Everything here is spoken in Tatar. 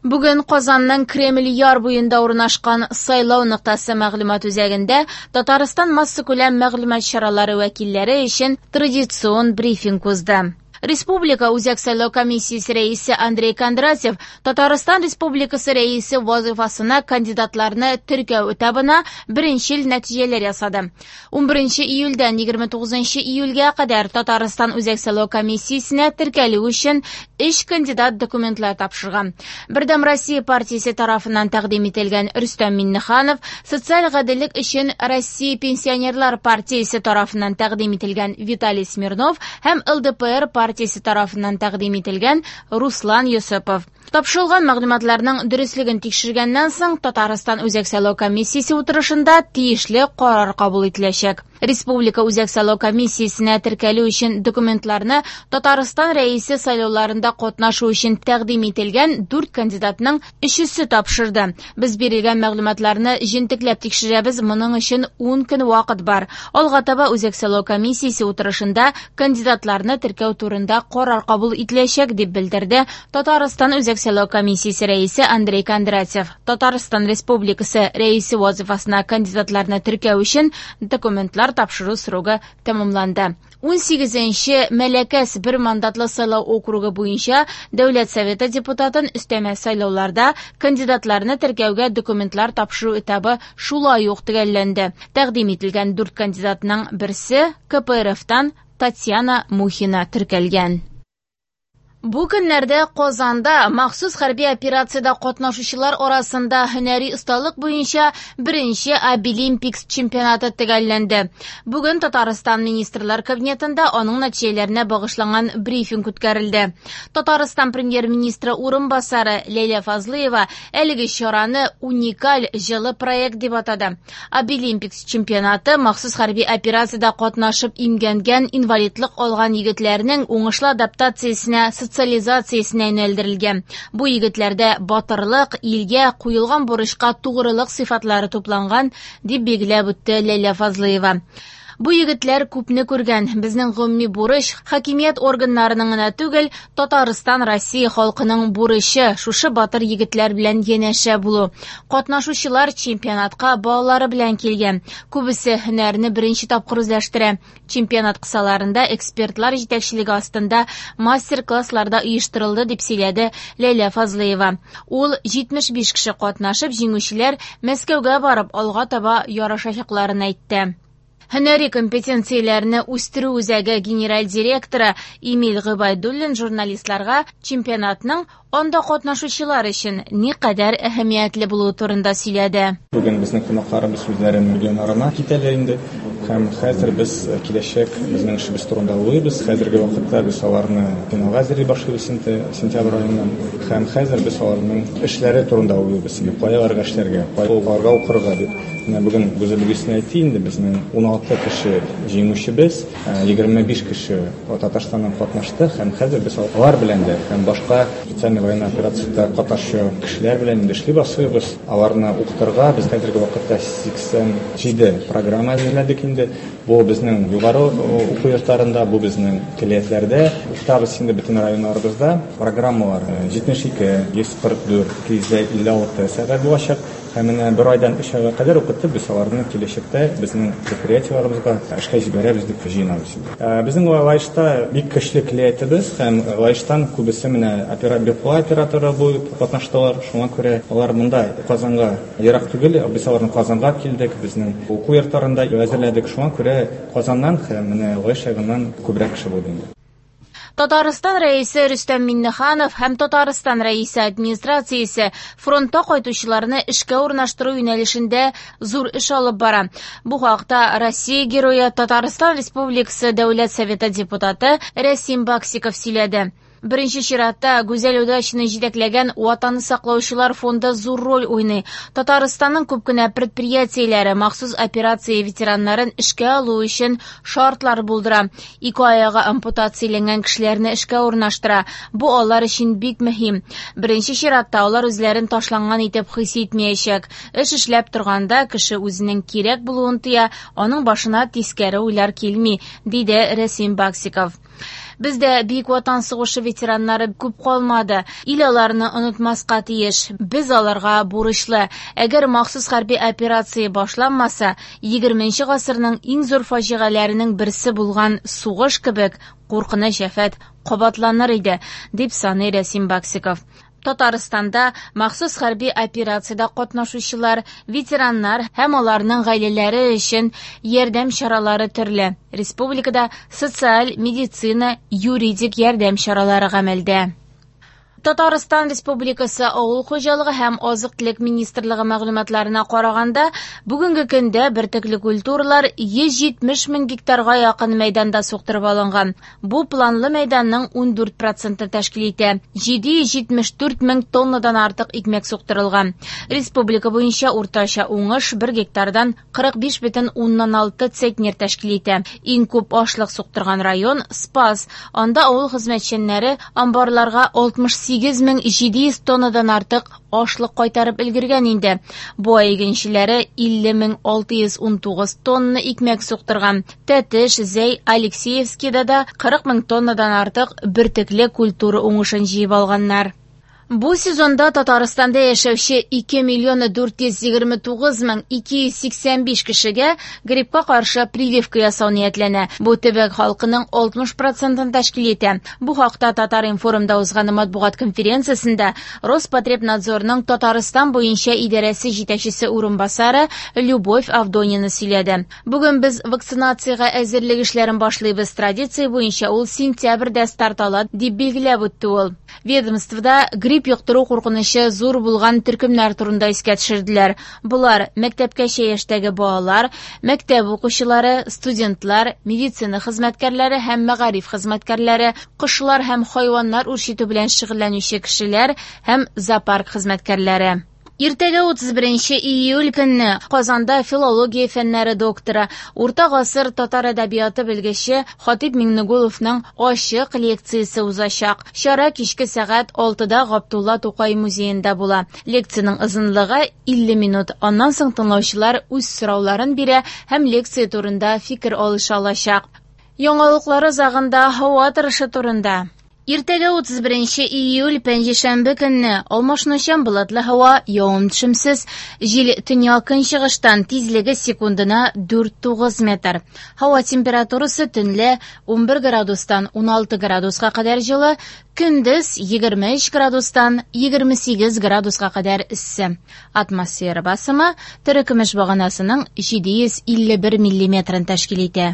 Бүген Казанның Кремль яр буенда урнашкан Сайлау ноктасы мәгълүмат үзәгендә Татарстан массакүләм мәгълүмат чаралары вәкилләре өчен традицион брифинг узды. Республика Үзәк сайлау комиссиясе рәисе Андрей Кондратьев Татарстан Республикасы Рәисе вазыйфасына кандидатларны теркәү этабына беренчел нәтиҗәләр ясады. 11 июльдән 29 июльгә кадәр Татарстан Үзәк сайлау комиссиясенә теркәлү өчен өч кандидат документлар тапшырган. Бердәм Россия партиясе тарафыннан тәкъдим ителгән Рөстәм Миңнеханов, Социаль гаделлек өчен Россия пенсионерлар партиясе тарафыннан тәкъдим ителгән Виталий Смирнов һәм ЛДПР партиясе тарафыннан тәкъдим ителгән Руслан Йосыпов. Тапшырылган мәгълүматларның дөреслеген тикшергәннән соң, Татарстан Үзәк сайлау комиссиясе утырышында тиешле карар кабул ителәчәк. Республика Үзәк сайлау комиссиясенә теркәлү өчен документларны Татарстан Рәисе сайлауларында катнашу өчен тәкъдим ителгән дүрт кандидатның өчесе тапшырды. Без бирелгән мәгълүматларны җентекләп тикшерәбез, моның өчен 10 көн вакыт бар. Алга таба Үзәк сайлау комиссиясе утырышында кандидатларны теркәү турында карар кабул ителәчәк, дип белдерде Татарстан Үзәк сайлау комиссиясе рәисе Андрей Кондратьев. Татарстан Республикасы Рәисе вазыйфасына кандидатларны теркәү өчен документлар тапшыру срогы тәмамланды. 18-нче Мәләкәс бер мандатлы сайлау округы буенча Дәүләт Советы депутатын өстәмә сайлауларда кандидатларны теркәүгә документлар тапшыру этабы шулай ук төгәлләнде. Тәкъдим ителгән дүрт кандидатның берсе КПРФтан Татьяна Мухина теркәлгән. Бу көннәрдә Казанда махсус хәрби операциядә катнашучылар арасында һөнәри осталык буенча беренче Абилимпикс чемпионаты төгәлләнде. Бүген Татарстан Министрлар Кабинетында аның нәтиҗәләренә багышланган брифинг үткәрелде. Татарстан премьер-министры урынбасары Ләйлә Фазлыева әлеге чараны уникаль җылы проект дип атады. Абилимпикс чемпионаты махсус хәрби операциядә катнашып имгәнгән, инвалидлык алган егетләрнең уңышлы адаптациясенә, социализациясенә юнәлдерелгән. Бу егетләрдә батырлык, илгә куелган бурычка тугрылык сыйфатлары тупланган, дип билгеләп үтте Ләйлә Фазлыева. Бу егетләр күпне күргән. Безнең гомуми бурыч хакимият органнарының гына түгел, Татарстан, Россия халкының бурычы шушы батыр егетләр белән янәшә булу. Катнашучылар чемпионатка балалары белән килгән. Күбесе һөнәрне беренче тапкыр үзләштерә. Чемпионат кысаларында экспертлар җитәкчелеге астында мастер-класслар да оештырылды, дип сөйләде Ләйлә Фазлыева. Ул 75 кеше катнашып, җиңүчеләр Мәскәүгә барып алга таба ярышачакларын әйтте. Һөнәри компетенцияләрне үстерү үзәге генераль директоры Эмиль Гыйбайдуллин журналистларга чемпионатның анда катнашучылар өчен никадәр әһәмиятле булуы турында сөйләде. Бүген безнең кунакларыбыз үзләренең регионнарына китәләр инде. Һәм хәзер без киләчәк безнең эшебез турында уйлыйбыз. Хәзерге вакытта без аларны финалга әзерли башлыйбыз инде сентябрь аеннан. Һәм хәзер без аларның эшләре турында уйлыйбыз. Инде кая аларга эшләргә, кая аларга укырга дип. Менә бүген Гүзәл Гөлсинә әйтте инде, безнең 16 кеше җиңүчебез, 25 кеше Татарстаннан катнашты һәм хәзер без алар белән дә һәм башка специальный военный операциядә катнашучы кешеләр белән инде эшли башлыйбыз. Аларны укытырга без хәзерге вакытта 87 программа әзерләдек инде. Бу безнең югары уку йортларында, бу безнең көллиятләрдә. Укытабыз инде бөтен районнарыбызда. Программалар 72, 144, 256 сәгать булачак. Һәм менә бер айдан өч айга кадәр укытып, без аларны киләчәктә безнең предприятиеләребезгә эшкә җибәрәбез дип җыенабыз инде. Безнең Лаешта бик көчле көллиятебез һәм Лаештан күбесе менә БПЛА операторы булып катнаштылар. Шуңа күрә алар монда Казанга ерак түгел, без аларны Казанга килдек, безнең уку йортларында әзерләдек. Шуңа күрә Казаннан һәм менә Лаеш ягыннан күбрәк кеше булды инде. Татарстан Рәисе Рөстәм Миңнеханов һәм Татарстан Рәисе администрациясе фронтта кайтучыларны эшкә урнаштыру юнәлешендә зур эш алып бара. Бу хакта Россия Герое Татарстан Республикасы Дәүләт Советы депутаты Рәсим Баксиков сөйләде. Беренче чиратта Гүзәл Удачина җитәкләгән Ватанны саклаучылар фонды зур роль уйный. Татарстанның күп кенә предприятиеләре махсус операция ветераннарын эшкә алу өчен шартлар булдыра. Ике аягы ампутацияләнгән кешеләрне эшкә урнаштыра. Бу алар өчен бик мөһим. Беренче чиратта алар үзләрен ташланган итеп хис итмәячәк. Эш эшләп торганда кеше үзенең кирәк булуын тоя, аның башына тискәре уйлар килми, диде Рәсим Баксиков. Бездә Бөек Ватан сугышы ветераннары күп калмады. Ил аларны онытмаска тиеш. Без аларга бурычлы. Әгәр махсус хәрби операция башланмаса, 20 гасырның иң зур фаҗигаләренең берсе булган сугыш кебек куркыныч афәт кабатланыр иде, дип саный Рәсим Баксиков. Татарстанда махсус хәрби операциядә катнашучылар, ветераннар һәм аларның гаиләләре өчен ярдәм чаралары төрле. Республикада социаль, медицина, юридик ярдәм чаралары гамәлдә. Татарстан Республикасы Авыл хуҗалыгы һәм азык-төлек министрлыгы мәгълүматларына караганда, бүгенге көндә бөртекле культуралар 170 мең гектарга якын мәйданда суктырып алынган. Бу планлы мәйданның 14 процентын тәшкил итә. 774 мең тоннадан артык икмәк суктырылган. Республика буенча уртача уңыш 1 гектардан 45,6 центнер тәшкил итә. Иң күп ашлык суктырган район Спас. Анда авыл хезмәтчәннәре амбарларга 68 700 тоннадан артык ашлык кайтарып өлгергән инде. Буа игенчеләре 50 619 тонна икмәк суктырган. Тәтеш, Зәй, Алексеевскийда да 40 мең тоннадан артык бөртекле культура уңышын җыеп алганнар. Бу сезонда Татарстанда яшәүче 2 миллион 429 мең 285 кешегә гриппка каршы прививка ясау ниятләнә. Бу төбәк халкының 60 процентын тәшкил итә. Бу хакта Татар-информда узган матбугат конференциясендә Роспотребнадзорның Татарстан буенча идарәсе җитәкчесе урынбасары Любовь Авдонина сөйләде. Бүген без вакцинациягә әзерлек эшләрен башлыйбыз. Традиция буенча ул сентябрьдә старт ала, дип билгеләп үтте ул. Ведомствода грипп йоктыру куркынычы зур булган төркемнәр турында искә төшерделәр. Болар мәктәпкәчә яшьтәге балалар, мәктәп укучылары, студентлар, медицина хезмәткәрләре һәм мәгариф хезмәткәрләре, кошлар һәм хайваннар үрчетү белән шөгыльләнүче кешеләр һәм зоопарк хезмәткәрләре. Иртәгә 31 июль көнне Казанда филология фәннәре докторы, урта гасыр татар әдәбияты белгече Хатип Миңнегуловның ачык лекциясе узачак. Чара кичке сәгать 6да Габдулла Тукай музеенда була. Лекциянең озынлыгы 50 минут. Аннан соң тыңлаучылар үз сорауларын бирә һәм лекция турында фикер алыша алачак. Яңалыклар азагында һава торышы турында. Иртәгә 31 июль пәнҗешәмбе көнне алмашынучан болытлы һава, явым-төшемсез, җил төньяк көнчыгыштан, тизлеге секундына 4-9 метр. Һава температурасы төнлә 11 градустан 16 градуска кадәр җылы, көндез 23 градустан 28 градуска кадәр эссе. Атмосфера басымы терекөмеш баганасының 751 миллиметрын тәшкил итә.